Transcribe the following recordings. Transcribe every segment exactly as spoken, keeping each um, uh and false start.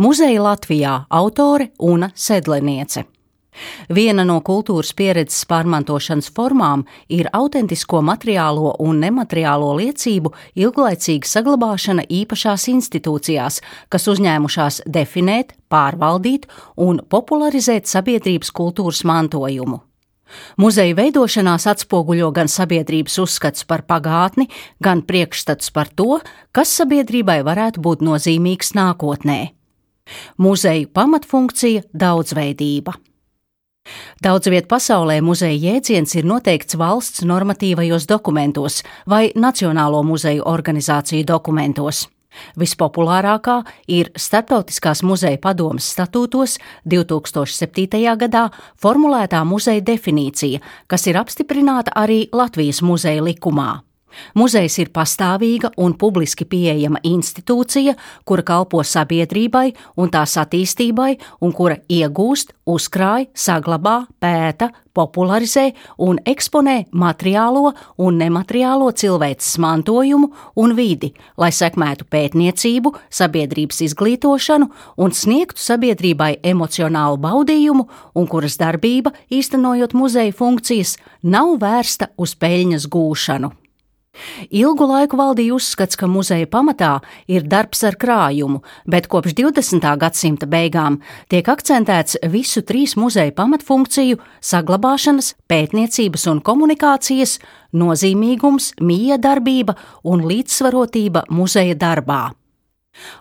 Muzeja Latvijā autore Una Sedleniece. Viena no kultūras pieredzes pārmantošanas formām ir autentisko materiālo un nemateriālo liecību ilglaicīga saglabāšana īpašās institūcijās, kas uzņēmušās definēt, pārvaldīt un popularizēt sabiedrības kultūras mantojumu. Muzeja veidošanās atspoguļo gan sabiedrības uzskats par pagātni, gan priekšstats par to, kas sabiedrībai varētu būt nozīmīgs nākotnē. Muzeju pamatfunkcija – daudzveidība. Daudz viet pasaulē muzeja jēdziens ir noteikts valsts normatīvajos dokumentos vai Nacionālo muzeju organizāciju dokumentos. Vispopulārākā ir Starptautiskās muzeja padomes statūtos divi tūkstoši septītajā gadā formulētā muzeja definīcija, kas ir apstiprināta arī Latvijas muzeja likumā. Muzejs ir pastāvīga un publiski pieejama institūcija, kura kalpo sabiedrībai un tās attīstībai un kura iegūst, uzkrāj, saglabā, pēta, popularizē un eksponē materiālo un nemateriālo cilvēces mantojumu un vidi, lai sekmētu pētniecību, sabiedrības izglītošanu un sniegtu sabiedrībai emocionālu baudījumu un kuras darbība, īstenojot muzeja funkcijas, nav vērsta uz peļņas gūšanu. Ilgu laiku valdīja uzskats, ka muzeja pamatā ir darbs ar krājumu, bet kopš divdesmitā gadsimta beigām tiek akcentēts visu trīs muzeja pamatfunkciju – saglabāšanas, pētniecības un komunikācijas, nozīmīgums, miedarbība un līdzsvarotība muzeja darbā.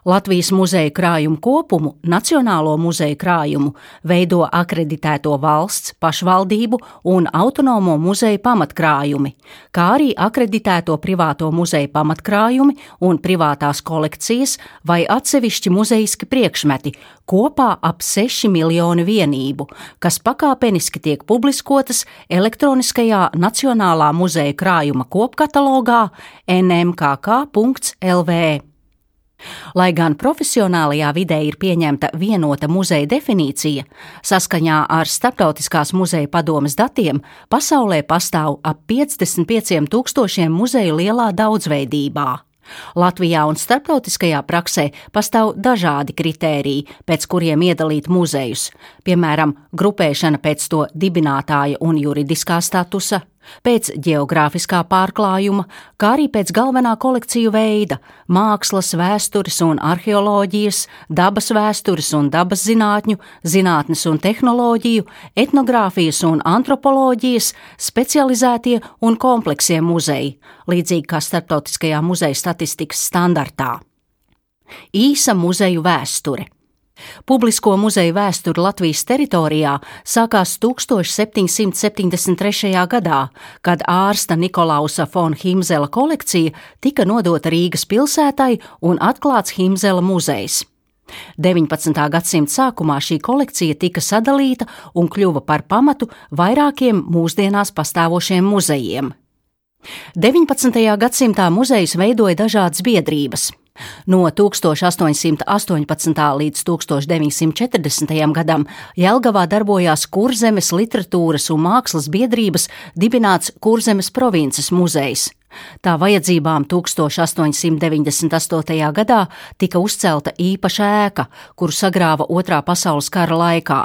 Latvijas muzeja krājumu kopumu, Nacionālo muzeja krājumu, veido akreditēto valsts, pašvaldību un autonomo muzeju pamatkrājumi, kā arī akreditēto privāto muzeju pamatkrājumi un privātās kolekcijas vai atsevišķi muzejiski priekšmeti, kopā ap seši miljoni vienību, kas pakāpeniski tiek publiskotas elektroniskajā Nacionālā muzeja krājuma kopkatalogā en em ka ka punkts el vē. Lai gan profesionālajā vidē ir pieņemta vienota muzeja definīcija, saskaņā ar Starptautiskās muzeja padomes datiem pasaulē pastāv ap piecdesmit pieciem tūkstošiem muzeju lielā daudzveidībā. Latvijā un starptautiskajā praksē pastāv dažādi kritēriji, pēc kuriem iedalīt muzejus, piemēram, grupēšana pēc to dibinātāja un juridiskā statusa, pēc ģeogrāfiskā pārklājuma, kā arī pēc galvenā kolekciju veida – mākslas, vēstures un arheoloģijas, dabas vēstures un dabas zinātņu, zinātnes un tehnoloģiju, etnogrāfijas un antropoloģijas, specializētie un kompleksie muzeji, līdzīgi kā starptautiskajā muzeja statistikas standartā. Īsa muzeju vēsture. Publisko muzeju vēsture Latvijas teritorijā sākās tūkstoš septiņsimt septiņdesmit trešajā gadā, kad ārsta Nikolausa fon Himzela kolekcija tika nodota Rīgas pilsētai un atklāts Himzela muzejs. deviņpadsmitā gadsimta sākumā šī kolekcija tika sadalīta un kļuva par pamatu vairākiem mūsdienās pastāvošiem muzejiem. deviņpadsmitajā gadsimtā muzejus veidoja dažādas biedrības. No tūkstoš astoņsimt astoņpadsmitā līdz tūkstoš deviņsimt četrdesmitajam gadam Jelgavā darbojās Kurzemes literatūras un mākslas biedrības dibināts Kurzemes provinces muzejs. Tā vajadzībām tūkstoš astoņsimt deviņdesmit astotajā gadā tika uzcelta īpaša ēka, kuru sagrāva Otrā pasaules kara laikā.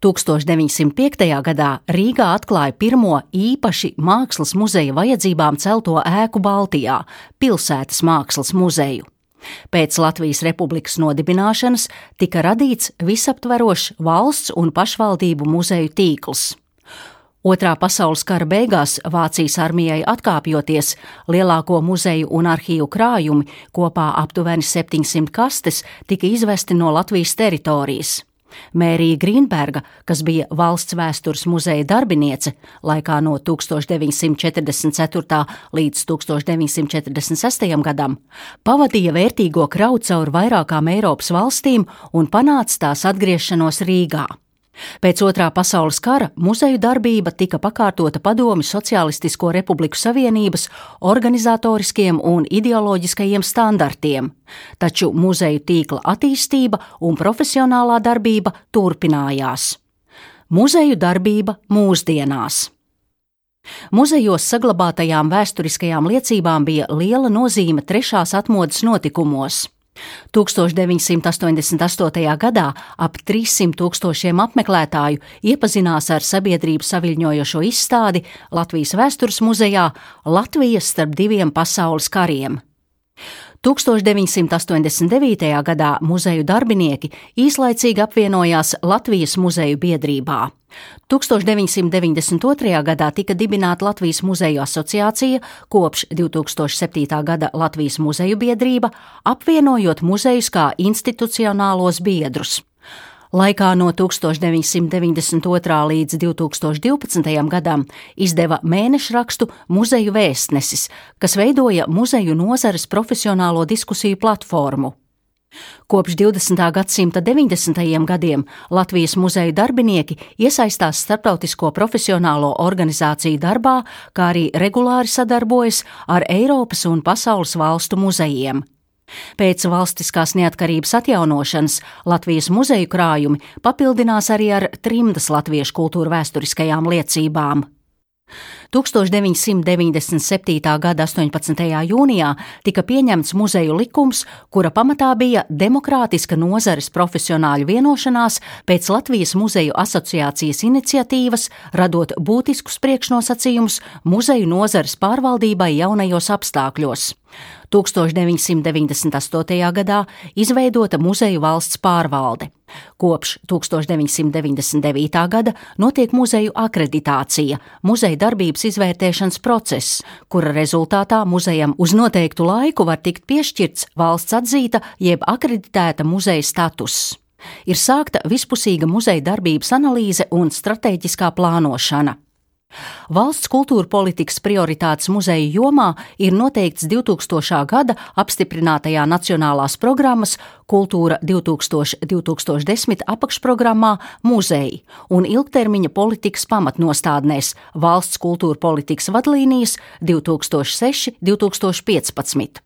tūkstoš deviņsimt piektajā gadā Rīgā atklāja pirmo īpaši mākslas muzeja vajadzībām celto ēku Baltijā – Pilsētas mākslas muzeju. Pēc Latvijas Republikas nodibināšanas tika radīts visaptverošs valsts un pašvaldību muzeju tīkls. Otrā pasaules kara beigās Vācijas armijai atkāpjoties, lielāko muzeju un arhīvu krājumi, kopā aptuveni septiņsimt kastes, tika izvesti no Latvijas teritorijas. Mērija Grīnberga, kas bija valsts vēstures muzeja darbiniece laikā no tūkstoš deviņsimt četrdesmit ceturtā līdz tūkstoš deviņsimt četrdesmit sestajam gadam, pavadīja vērtīgo kravu cauri vairākām Eiropas valstīm un panāca tās atgriešanos Rīgā. Pēc Otrā pasaules kara muzeju darbība tika pakārtota Padomju Socialistisko Republiku Savienības organizatoriskiem un ideoloģiskajiem standartiem, taču muzeju tīkla attīstība un profesionālā darbība turpinājās. Muzeju darbība mūsdienās. Muzejos saglabātajām vēsturiskajām liecībām bija liela nozīme trešās atmodas notikumos. tūkstoš deviņsimt astoņdesmit astotajā gadā ap trīssimt tūkstošiem apmeklētāju iepazinās ar sabiedrību saviļņojošo izstādi Latvijas Vēstures muzejā Latvija starp diviem pasaules kariem. tūkstoš deviņsimt astoņdesmit devītajā gadā muzeju darbinieki īslaicīgi apvienojās Latvijas muzeju biedrībā. tūkstoš deviņsimt deviņdesmit otrajā gadā tika dibināta Latvijas muzeju asociācija, kopš divtūkstoš septītā gada Latvijas muzeju biedrība, apvienojot muzejus kā institucionālos biedrus. Laikā no tūkstoš deviņsimt deviņdesmit otrā līdz divtūkstoš divpadsmitajam gadam izdeva mēnešrakstu Muzeju vēstnesis, kas veidoja muzeju nozares profesionālo diskusiju platformu. Kopš divdesmitā gadsimta deviņdesmitajiem gadiem Latvijas muzeju darbinieki iesaistās starptautisko profesionālo organizāciju darbā, kā arī regulāri sadarbojas ar Eiropas un pasaules valstu muzejiem. Pēc valstiskās neatkarības atjaunošanas Latvijas muzeju krājumi papildinās arī ar trimdas latviešu kultūra vēsturiskajām liecībām. tūkstoš deviņsimt deviņdesmit septītā gada astoņpadsmitajā jūnijā tika pieņemts muzeju likums, kura pamatā bija demokrātiska nozares profesionāļu vienošanās pēc Latvijas muzeju asociācijas iniciatīvas, radot būtiskus priekšnosacījumus muzeju nozares pārvaldībai jaunajos apstākļos. tūkstoš deviņsimt deviņdesmit astotajā gadā izveidota muzeju valsts pārvalde. Kopš tūkstoš deviņsimt deviņdesmit devītā gada notiek muzeju akreditācija, muzeja darbības izvērtēšanas process, kura rezultātā muzejam uz noteiktu laiku var tikt piešķirts valsts atzīta jeb akreditēta muzeja status. Ir sākta vispusīga muzeja darbības analīze un stratēģiskā plānošana. Valsts kultūra politikas prioritātes muzeju jomā ir noteikts divtūkstošā gada apstiprinātajā nacionālās programmas Kultūra divtūkstoši divtūkstoš desmit apakšprogrammā Muzeji un ilgtermiņa politikas pamatnostādnēs Valsts kultūra politikas vadlīnijas divtūkstoš seši līdz divtūkstoš piecpadsmit.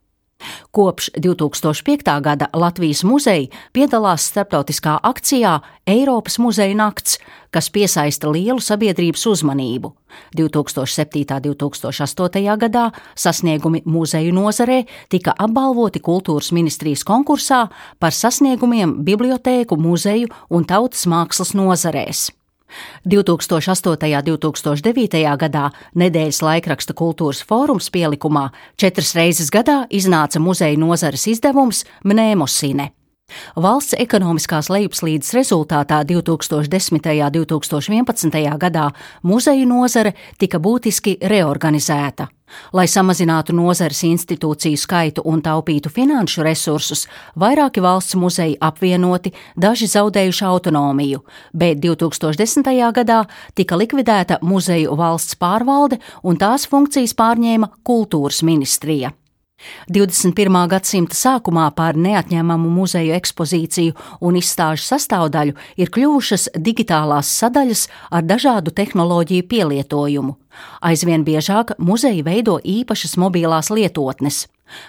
Kopš divtūkstoš piektā gada Latvijas muzeji piedalās starptautiskā akcijā Eiropas muzeju nakts, kas piesaista lielu sabiedrības uzmanību. divtūkstoš septītā līdz divtūkstoš astotajā gadā sasniegumi muzeju nozarē tika apbalvoti Kultūras ministrijas konkursā par sasniegumiem bibliotēku, muzeju un tautas mākslas nozarēs. divtūkstoš astotajā un divtūkstoš devītajā gadā nedēļas laikraksta Kultūras fórums pielikumā četras reizes gadā iznāca muzeju nozares izdevums Mnēmosine. Valsts ekonomiskās lejupslīdes rezultātā divtūkstoš desmitajā un divtūkstoš vienpadsmitajā gadā muzeju nozare tika būtiski reorganizēta. Lai samazinātu nozares institūciju skaitu un taupītu finanšu resursus, vairāki valsts muzeji apvienoti, daži zaudējuši autonomiju, bet divtūkstoš desmitajā gadā tika likvidēta muzeju valsts pārvalde un tās funkcijas pārņēma Kultūras ministrija. divdesmit pirmā gadsimta sākumā par neatņemamu muzeju ekspozīciju un izstāžu sastāvdaļu ir kļuvušas digitālās sadaļas ar dažādu tehnoloģiju pielietojumu. Aizvien biežāk muzeji veido īpašas mobilās lietotnes.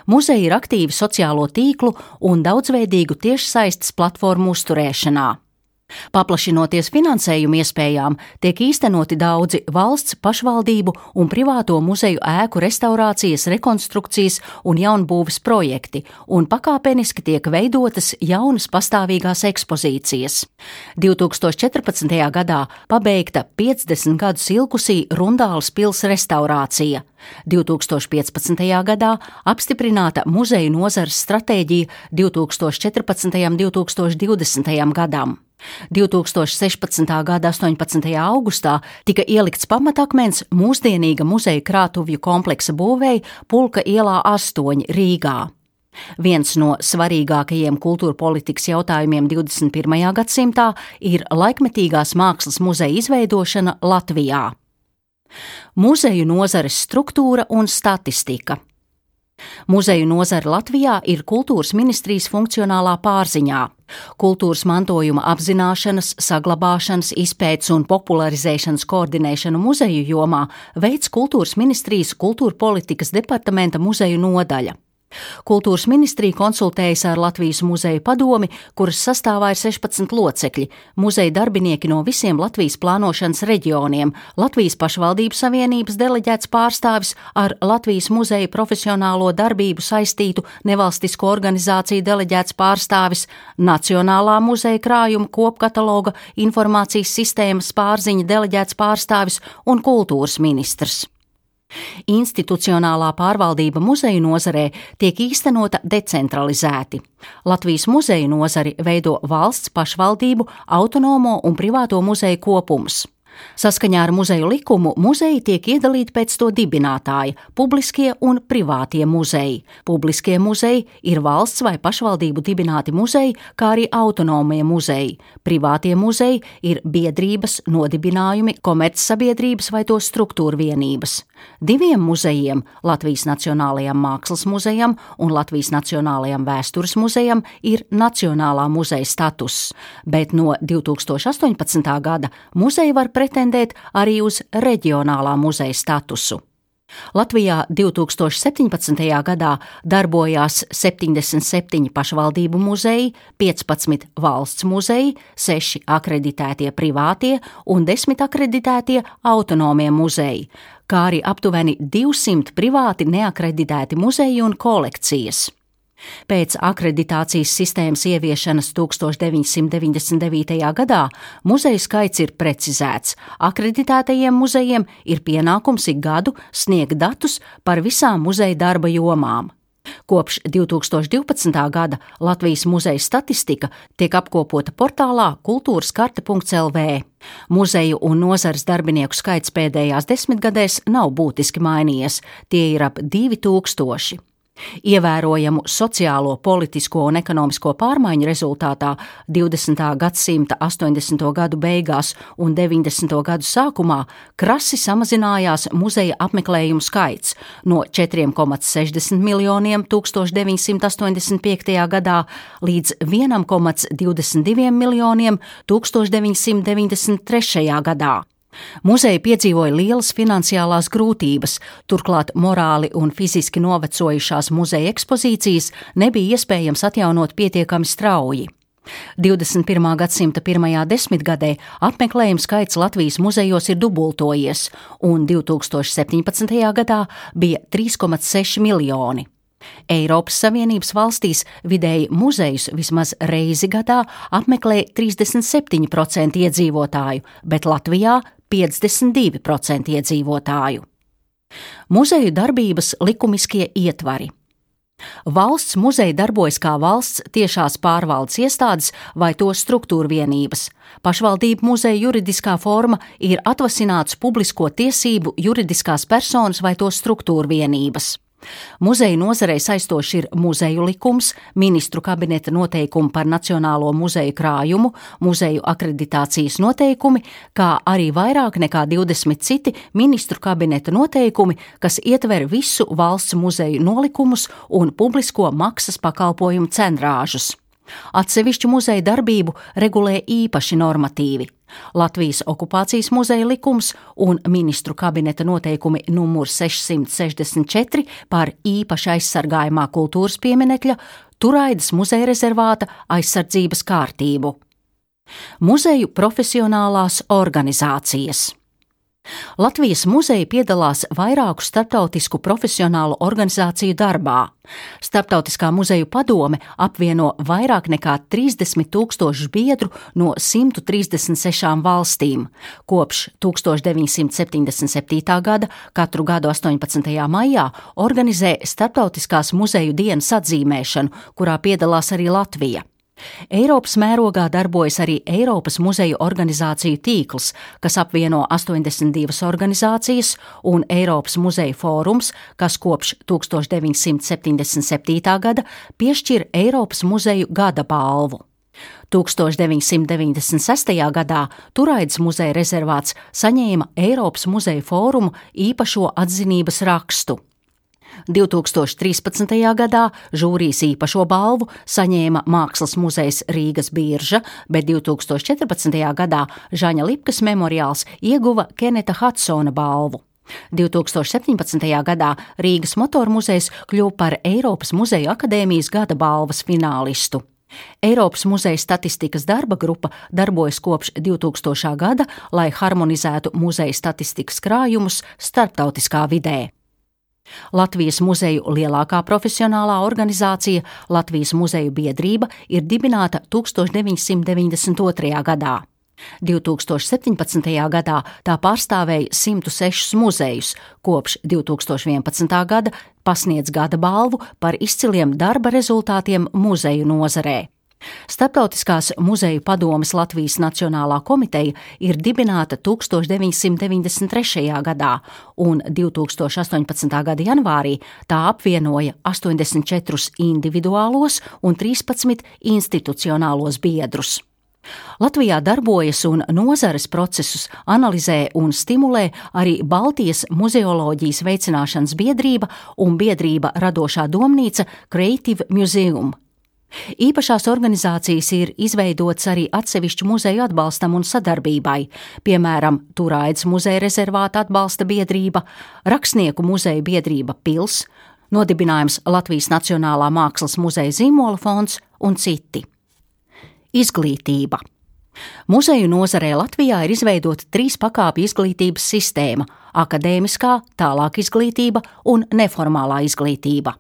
Muzeji ir aktīvi sociālo tīklu un daudzveidīgu tiešsaistes platformu uzturēšanā. Paplašinoties finansējuma iespējām, tiek īstenoti daudzi valsts, pašvaldību un privāto muzeju ēku restaurācijas, rekonstrukcijas un jaunbūves projekti, un pakāpeniski tiek veidotas jaunas pastāvīgās ekspozīcijas. divtūkstoš četrpadsmitajā gadā pabeigta piecdesmit gadus ilgusī Rundāles pils restaurācija. divtūkstoš piecpadsmitajā gadā apstiprināta muzeju nozares stratēģija divtūkstoš četrpadsmitajam un divtūkstoš divdesmitajam gadam. divtūkstoš sešpadsmitā gada astoņpadsmitajā augustā tika ielikts pamatakmens mūsdienīga muzeja krātuvju kompleksa būvēi Pulka ielā astoņi Rīgā. Viens no svarīgākajiem kultūra politikas jautājumiem divdesmit pirmajā gadsimtā ir laikmetīgās mākslas muzeja izveidošana Latvijā. Muzeju nozares struktūra un statistika. Muzeju nozare Latvijā ir Kultūras ministrijas funkcionālā pārziņā. Kultūras mantojuma apzināšanas, saglabāšanas, izpētes un popularizēšanas koordinēšanu muzeju jomā veids Kultūras ministrijas kultūra politikas departamenta muzeju nodaļa. Kultūras ministrija konsultējas ar Latvijas muzeju padomi, kuras sastāvā ir sešpadsmit locekļi, muzeja darbinieki no visiem Latvijas plānošanas reģioniem, Latvijas pašvaldību savienības deleģēts pārstāvis ar Latvijas muzeja profesionālo darbību saistītu nevalstisko organizāciju deleģēts pārstāvis, Nacionālā muzeja krājuma kopkataloga informācijas sistēmas pārziņa deleģēts pārstāvis un kultūras ministrs. Institucionālā pārvaldība muzeju nozarē tiek īstenota decentralizēti. Latvijas muzeju nozari veido valsts pašvaldību, autonomo un privāto muzeju kopums. Saskaņā ar muzeju likumu muzeji tiek iedalīti pēc to dibinātāja – publiskie un privātie muzeji. Publiskie muzeji ir valsts vai pašvaldību dibināti muzeji, kā arī autonomie muzeji. Privātie muzeji ir biedrības, nodibinājumi, komercsabiedrības vai to struktūru vienības. Diviem muzejiem – Latvijas Nacionālajam mākslas muzejam un Latvijas Nacionālajam vēstures muzejam ir nacionālā muzeja status, bet no divi tūkstoši astoņpadsmitā gada muzeji var pretendēt arī uz reģionālā muzeja statusu. Latvijā divi tūkstoši septiņpadsmitajā gadā darbojās septiņdesmit septiņi pašvaldību muzeji, piecpadsmit valsts muzeji, seši akreditētie privātie un desmit akreditētie autonomie muzeji, kā arī aptuveni divsimt privāti neakreditēti muzeji un kolekcijas. Pēc akreditācijas sistēmas ieviešanas tūkstoš deviņsimt deviņdesmit devītajā gadā muzeju skaits ir precizēts. Akreditētajiem muzejiem ir pienākums ik gadu sniegt datus par visām muzeja darba jomām. Kopš divi tūkstoši divpadsmitā gada Latvijas muzeja statistika tiek apkopota portālā kultūraskarte punkts el vē. Muzeju un nozares darbinieku skaits pēdējās desmitgadēs nav būtiski mainījies, tie ir ap divi tūkstoši. Ievērojamu sociālo, politisko un ekonomisko pārmaiņu rezultātā divdesmitā gadsimta astoņdesmito gadu beigās un deviņdesmito gadu sākumā krasi samazinājās muzeja apmeklējumu skaits no četriem komats sešdesmit miljoniem tūkstoš deviņsimt astoņdesmit piektajā gadā līdz vienam komats divdesmit diviem miljoniem tūkstoš deviņsimt deviņdesmit trešajā gadā. Muzeji piedzīvoja lielas finansiālās grūtības, turklāt morāli un fiziski novecojušās muzeja ekspozīcijas nebija iespējams atjaunot pietiekami strauji. divdesmit pirmā gadsimta pirmajā desmitgadē apmeklējumu skaits Latvijas muzejos ir dubultojies, un divi tūkstoši septiņpadsmitajā gadā bija trīs komats seši miljoni. Eiropas Savienības valstīs vidēji muzejus vismaz reizi gadā apmeklē trīsdesmit septiņi procenti iedzīvotāju, bet Latvijā piecdesmit divi procenti iedzīvotāju. Muzeju darbības likumiskie ietvari. Valsts muzeji darbojas kā valsts tiešās pārvaldes iestādes vai to struktūru vienības. Pašvaldību muzeja juridiskā forma ir atvasināts publisko tiesību juridiskās personas vai to struktūru vienības. Muzeju nozarei saistoši ir muzeju likums, ministru kabineta noteikumi par Nacionālo muzeju krājumu, muzeju akreditācijas noteikumi, kā arī vairāk nekā divdesmit citi ministru kabineta noteikumi, kas ietver visu valsts muzeju nolikumus un publisko maksas pakalpojumu cenrāžus. Atsevišķu muzeju darbību regulē īpaši normatīvi. Latvijas okupācijas muzeja likums un ministru kabineta noteikumi numur sešsimt sešdesmit četri par īpaši aizsargājumā kultūras pieminekļa Turaidas muzeja rezervāta aizsardzības kārtību. Muzeju profesionālās organizācijas. Latvijas muzeji piedalās vairāku starptautisku profesionālu organizāciju darbā. Starptautiskā muzeju padome apvieno vairāk nekā trīsdesmit tūkstošu biedru no simt trīsdesmit sešām valstīm. Kopš tūkstoš deviņsimt septiņdesmit septītā gada katru gadu astoņpadsmitajā maijā organizē Starptautiskās muzeju dienas atzīmēšanu, kurā piedalās arī Latvija. Eiropas mērogā darbojas arī Eiropas muzeju organizāciju tīkls, kas apvieno astoņdesmit divas organizācijas, un Eiropas muzeju fórums, kas kopš tūkstoš deviņsimt septiņdesmit septītā gada piešķir Eiropas muzeju gada balvu. tūkstoš deviņsimt deviņdesmit sestajā gadā Turaidas muzeja rezervāts saņēma Eiropas muzeju fórumu īpašo atzinības rakstu. divi tūkstoši trīspadsmitajā gadā žūrijas īpašo balvu saņēma Mākslas muzejs Rīgas Birža, bet divi tūkstoši četrpadsmitajā gadā Žaņa Lipkas memoriāls ieguva Keneta Hadsona balvu. divtūkstoš septiņpadsmitajā gadā Rīgas motoru muzejs kļuva par Eiropas Muzeju akadēmijas gada balvas finālistu. Eiropas Muzeja statistikas darba grupa darbojas kopš divtūkstošā gada, lai harmonizētu muzeja statistikas krājumus starptautiskā vidē. Latvijas muzeju lielākā profesionālā organizācija, Latvijas muzeju biedrība, ir dibināta tūkstoš deviņsimt deviņdesmit otrajā gadā. divtūkstoš septiņpadsmitajā gadā tā pārstāvēja simt sešus muzejus, kopš divtūkstoš vienpadsmitā gada pasniedz gada balvu par izciliem darba rezultātiem muzeju nozarē. Starptautiskās muzeju padomes Latvijas Nacionālā komiteja ir dibināta tūkstoš deviņsimt deviņdesmit trešajā gadā, un divtūkstoš astoņpadsmitā gada janvārī tā apvienoja astoņdesmit četrus individuālos un trīspadsmit institucionālos biedrus. Latvijā darbojas un nozares procesus analizē un stimulē arī Baltijas muzeoloģijas veicināšanas biedrība un biedrība radošā domnīca Creative Museum. Īpašās organizācijas ir izveidotas arī atsevišķu muzeju atbalstam un sadarbībai, piemēram, Turaidas muzeja rezervāta atbalsta biedrība, Rakstnieku muzeja biedrība Pils, nodibinājums Latvijas Nacionālā mākslas muzeja Zīmola fonds un citi. Izglītība. Muzeju nozarē Latvijā ir izveidota trīs pakāpju izglītības sistēma – akadēmiskā, tālāk izglītība un neformālā izglītība.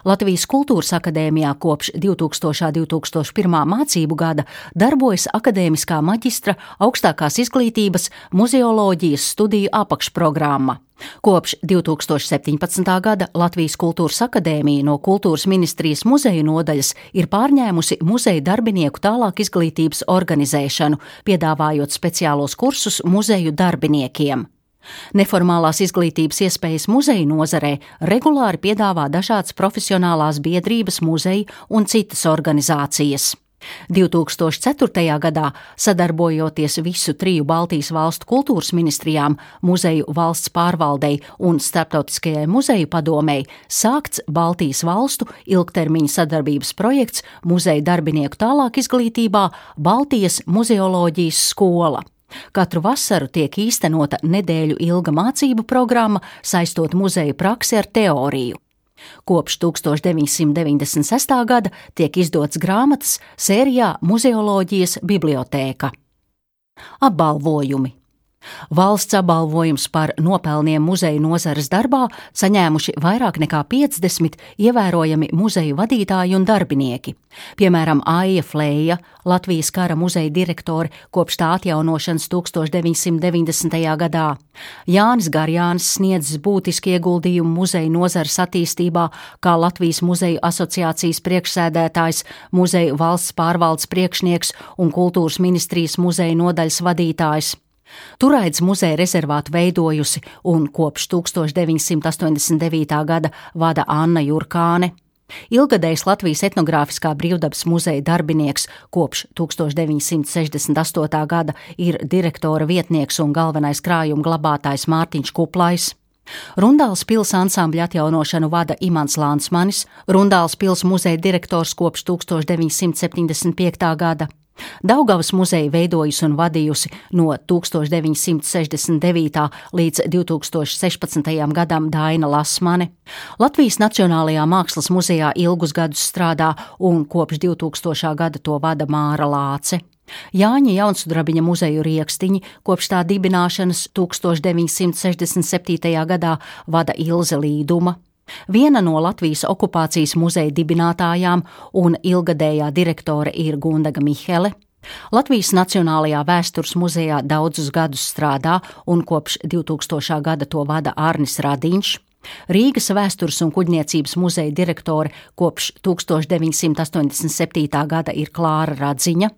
Latvijas Kultūras akadēmijā kopš divtūkstošā un divtūkstoš pirmā mācību gada darbojas akadēmiskā maģistra augstākās izglītības muzeoloģijas studiju apakšprogramma. Kopš divtūkstoš septiņpadsmitā gada Latvijas Kultūras akadēmija no Kultūras ministrijas muzeju nodaļas ir pārņēmusi muzeju darbinieku tālāk izglītības organizēšanu, piedāvājot speciālos kursus muzeju darbiniekiem. Neformālās izglītības iespējas muzeju nozarē regulāri piedāvā dažādas profesionālās biedrības, muzeji un citas organizācijas. divtūkstoš ceturtajā gadā, sadarbojoties visu triju Baltijas valstu kultūras ministrijām, muzeju valsts pārvaldei un starptautiskajai muzeju padomei, sākts Baltijas valstu ilgtermiņa sadarbības projekts muzeju darbinieku tālāk izglītībā Baltijas muzeoloģijas skola. Katru vasaru tiek īstenota nedēļu ilga mācību programma, saistot muzeju praksi ar teoriju. Kopš tūkstoš deviņsimt deviņdesmit sestā gada tiek izdots grāmatas sērijā Muzeoloģijas bibliotēka. Apbalvojumi. Valsts apbalvojums par nopelniem muzeju nozares darbā saņēmuši vairāk nekā piecdesmit ievērojami muzeju vadītāji un darbinieki. Piemēram, Aija Fleja, Latvijas kara muzeja direktore kopš tā atjaunošanas tūkstoš deviņsimt deviņdesmitajā gadā. Jānis Garjānis sniedzis būtiski ieguldījumu muzeju nozares attīstībā, kā Latvijas muzeju asociācijas priekšsēdētājs, muzeju valsts pārvaldes priekšnieks un kultūras ministrijas muzeju nodaļas vadītājs. Turaidas muzeja rezervātu veidojusi un kopš tūkstoš deviņsimt astoņdesmit devītā gada vada Anna Jurkāne. Ilgadējs Latvijas etnogrāfiskā brīvdabas muzeja darbinieks kopš tūkstoš deviņsimt sešdesmit astotā gada ir direktora vietnieks un galvenais krājuma glabātājs Mārtiņš Kuplais. Rundāls pils ansambļa atjaunošanu vada Imants Lansmanis, Rundāls pils muzeja direktors kopš tūkstoš deviņsimt septiņdesmit piektā gada. Daugavas muzeja veidojusi un vadījusi no tūkstoš deviņsimt sešdesmit devītā līdz divtūkstoš sešpadsmitajam gadam Daina Lasmane. Latvijas Nacionālajā mākslas muzejā ilgus gadus strādā un kopš divtūkstošā gada to vada Māra Lāce. Jāņa Jaunsudrabiņa muzeju Riekstiņi kopš tā dibināšanas tūkstoš deviņsimt sešdesmit septītajā gadā vada Ilze Līduma. Viena no Latvijas okupācijas muzeja dibinātājām un ilgadējā direktore ir Gundaga Mihele. Latvijas Nacionālajā vēstures muzejā daudzus gadus strādā un kopš divtūkstošā gada to vada Arnis Radiņš. Rīgas vēstures un kuģniecības muzeja direktore kopš tūkstoš deviņsimt astoņdesmit septītā gada ir Klāra Radziņa.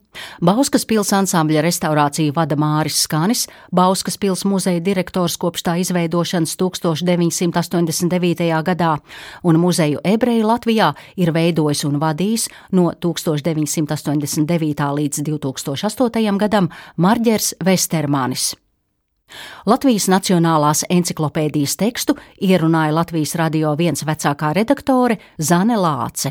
Bauskas pils ansambļa restaurāciju vada Māris Skanis, Bauskas pils muzeja direktors kopš tā izveidošanas tūkstoš deviņsimt astoņdesmit devītajā gadā, un muzeju ebreju Latvijā ir veidojis un vadījis no tūkstoš deviņsimt astoņdesmit devītā līdz divtūkstoš astotajam gadam Marģers Vestermanis. Latvijas Nacionālās enciklopēdijas tekstu ierunāja Latvijas Radio viens vecākā redaktore Zane Lāce.